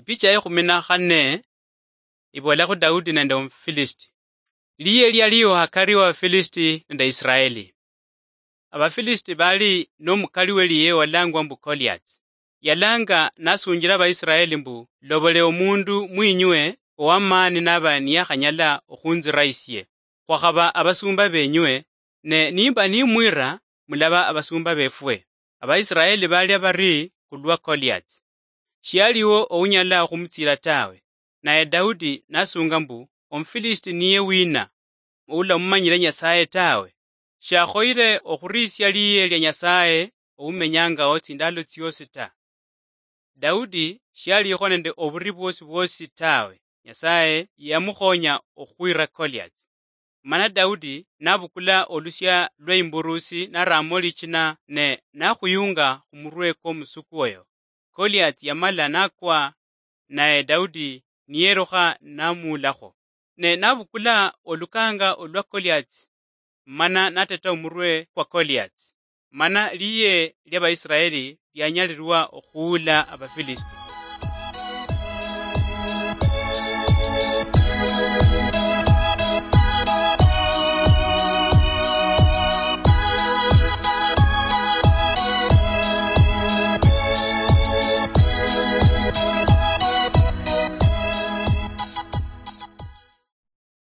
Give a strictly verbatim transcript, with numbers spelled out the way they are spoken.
Picha ya ekhumi na khane iboolakho Daudi nende Omufilisiti. Liye lialiho hakari wa Abafilisiti nende Israeli. Abafilisiti bali nomukali weliye walangwa mbu Goliati. Yalanga nasunjila Abaisiraeli mbu, "Lobole omundu mwinywe owamaani naba niyakhanyala okhunzira isie. Khwakhaba abasumba benywe, ne nimba nimwira, mulaba abasumba befwe." Abaisiraeli balia bari khulwa Goliati. Shialiwo ounyala okhumutsiila tawe. Naye Daudi nasunga mbu, "Omufilisiti niye wina, oulamumanyile Nyasaye tawe? Shakhoyile okhurisia liye lia Nyasaye oumenyangao tsindalo tsiosi ta." Daudi shialikho nende oburi bwosi bwosi tawe. Nyasaye yamukhonya okhwira Goliati. Mana Daudi nabukula olusia lweimburusi naramo lichina ne nakhuyunga khumurwe kwomusuku oyo. Goliati yamala nakwa, naye Daudi niyerukha namuulakho. Ne nabukula olukanga olwa Goliati, mana nateta omurwe kwa Goliati. Mana liye liabaisiraeli lianyalirwa okhuula Abafilisiti.